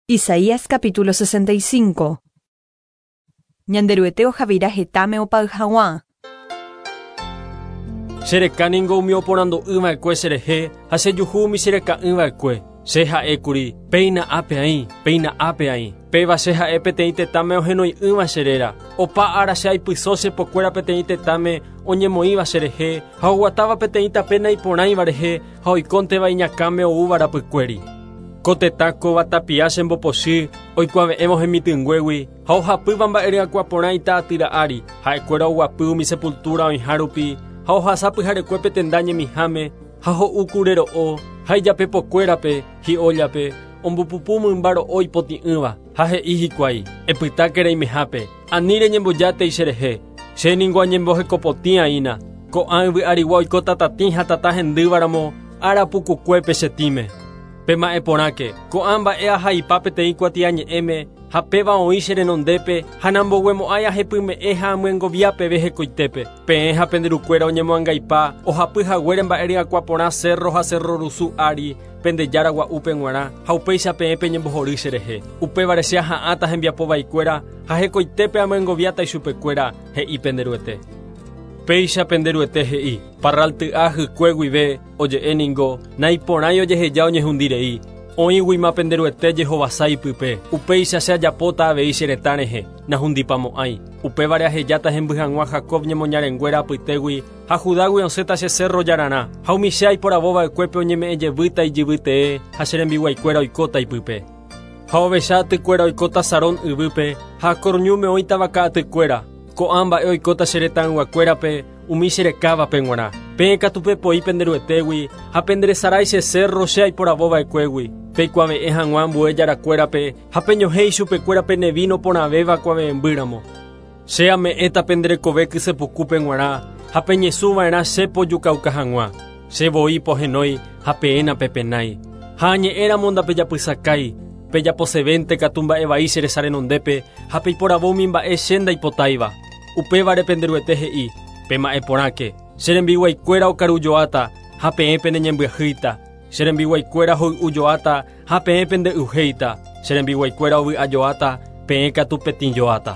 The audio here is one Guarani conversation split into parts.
Isaías capítulo 65. Ñanderuete ohavira hetãme opay hag̃ua. Che reka ningo umi oporandu'ỹ va'ekue cherehe ha chejuhu umi chereka'ỹ va'ekue. Che ha'ékuri, Péina ápe aĩ, péina ápe aĩ. Péva che ha'e peteĩ tetãme ohenoi'ỹva che réra. Opa ára che aipyso che pokuéra peteĩ tetãme oñemoĩva cherehe ha oguatáva peteĩ tape naiporãiva rehe ha oikónteva iñakãme oúva rapykuéri. Ko tetã kóva tapia chembopochy oikuave'ẽvo hemitỹnguégui ha ohapýva mba'e ryakuã porã ita atýra ári, ha'ekuéra oguapy umi sepultúra oĩha rupi ha ohasa pyharekue pe tenda ñemiháme ha ho'u kure ro'o ha ijapepokuérape, hi'óllape, ombopupu mymba ro'o ipotĩ'ỹva, ha he'i hikuái, Epytáke reimehápe, ani reñembojátei cherehe, che ningo añembohekopotĩ aína, ko'ã yvy arigua oiko tatatĩ ha tata hendývaramo ára pukukuépe che tĩme. Pema'ẽ porãke, ko'ã mba'e ahaipa peteĩ kuatiañe'ẽme ha péva oĩ che renondépe ha namboguemo'ãi ahepyme'ẽ ha amyengovia peve hekoitépe. Peẽ ha pende rukuéra oñemoangaipa ohapy haguére mba'e ryakuã porã cérro ha cérro rusu ári pende jára gua'úpe g̃uarã ha upéicha peẽ peñembohory cherehe. Upévare che aha'ãta hembiapo vaikuéra ha hekoitépe amyengoviáta ichupekuéra, he'i pende Ruete. Péicha pende Ruete he'i, Parralty'a hykue guive, Oje'e ningo, naiporãi ojeheja oñehundi rei, oĩguima pende Ruete jehovasa ipype, upéicha che ajapóta avei che retã rehe, nahundipamo'ãi. Upévare ahejáta hemby hag̃ua Jacob ñemoñarenguéra apytégui ha Judágui osẽta che cérro jararã, ha umi che aiporavo va'ekuépe oñeme'ẽ jevýta ijyvy tee ha che rembiguaikuéra oikóta ipype. Ha ovecha atykuéra oikóta Sarón yvýpe ha Acor ñúme oĩta vaka atykuéra, ko'ã mba'e oikóta che retãyguakuérape, umi che rekávape g̃uarã. Peẽ katu pepoi pende Ruetégui ha penderesarái che cérro che aiporavo va'ekuégui, peikuave'ẽ hag̃ua ambue jarakuérape ha peñohẽ ichupekuéra pene víno porãvéva kuave'ẽmbýramo. Che ame'ẽta pende rekove kyse pukúpe g̃uarã ha peñesũ va'erã che pojukauka hag̃ua. Che voi pohenói ha peẽ napepenái. Ha añe'ẽramo ndapejapysakái, pejaposevénte katu mba'e vai che resa renondépe ha peiporavo umi mba'e che ndaipotáiva. Upévare pende Ruete he'i, Pema'ẽ porãke, che rembiguaikuéra okarujoáta ha peẽ peneñembyahýita, che rembiguaikuéra hoy'ujoáta ha peẽ pende'yuhéita, che rembiguaikuéra ovy'ajoáta, peẽ katu petĩjoáta.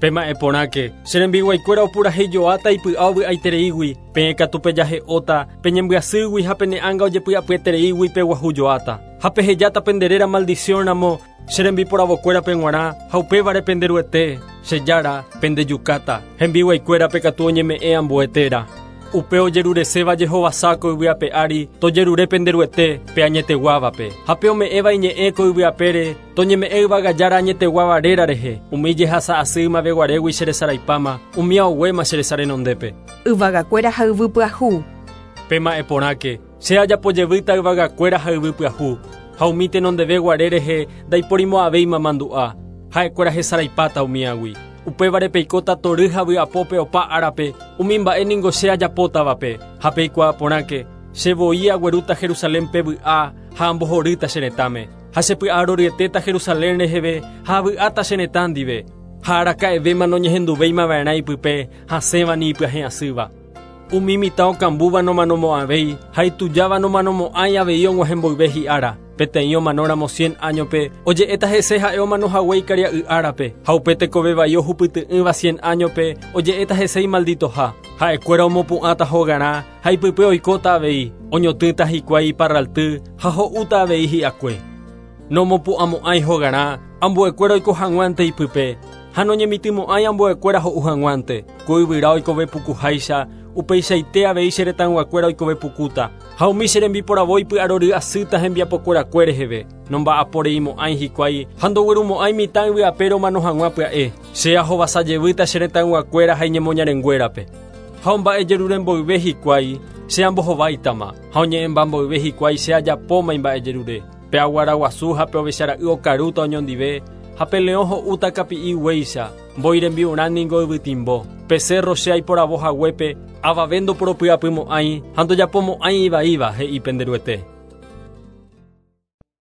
Pema'ẽ porãke, che rembiguaikuéra opuraheijoáta ipy'a ovy'aitereígui, peẽ katu pejahe'óta, peñembyasýgui ha pene ánga ojepy'apyetereígui peguahujoáta. Ha pehejáta pende réra maldición ramo, Che rembiporavokuérape g̃uarã ha upévare pende Ruete, che Jára, pendejukáta, hembiguaikuérape katu oñeme'ẽ ambue téra. Upe ojerureséva jehovasa ko yvy ape ári, tojerure pende Ruete, pe añeteguávape. Ha pe ome'ẽva iñe'ẽ ko yvy apére, toñeme'ẽ yvága Jára añeteguáva réra rehe, umi jehasa asy ymaveguarégui che resaraipáma, umía oguéma che resa renondépe. Yvagakuéra ha yvy pyahu. Pema'ẽ porãke, Che ajapo jevýta yvagakuéra ha yvy pyahu, ha umi tenondeve guare rehe ndaiporimo'ãvéima mandu'a, ha'ekuéra hesaraipáta umíagui. Upévare peikóta tory ha vy'apópe opa árape, umi mba'e ningo che ajapótavape, ha peikuaa porãke, che voi aguerúta Jerusalénpe vy'a ha ambohorýta che retãme. Ha che py'aroryetéta Jerusalén reheve ha avy'áta che retã ndive, ha araka'evéma noñehenduvéima va'erã ipype hasẽva ni ipyahẽ asýva. Umi mitã okambúva nomanomo'ãvéi ha itujáva nomanomo'ãi avei og̃uahẽ mboyve hi'ára. Peteĩ omanóramo cien áñope, oje'éta hese ha'e omano hague ikaria'y árape, ha upe tekove vai ohupyty'ỹva cien áñope, oje'éta hese imalditoha. Ha'ekuéra omopu'ãta hogarã ha ipype oikóta avei, oñotỹta hikuái iparralty ha ho'úta avei hi'akue. Nomopu'ãmo'ãi hogarã ambuekuéra oiko hag̃uánte ipype, ha noñemitỹmo'ãi ambuekuéra ho'u hag̃uánte. Ko yvyra oikove pukuháicha, upeichaite avei che retãyguakuéra oikove pukúta, ha umi che rembiporavo ipy'arory asýta hembiapokuerakue reheve, nomba'aporeimo'ãi hikuái ha ndoguerumo'ãi mitã yvy apére omano hag̃ua pya'e. Che ahovasa jevýta che retãyguakuéra ha iñemoñarenguérape. Ha omba'ejerure mboyve hikuái, che ambohováitama, ha oñe'ẽmba mboyve hikuái che ajapóma imba'ejerure. Pe aguara guasu ha pe ovecha ra'y okarúta oñondive, ha pe leõ ho'úta kapi'i guéicha, mbói rembi'urã ningo yvytimbo. Pe cérro che aiporavo haguépe, avave ndoporopy'apymo'ãi ha ndojapomo'ãi ivaíva, he'i pende Ruete.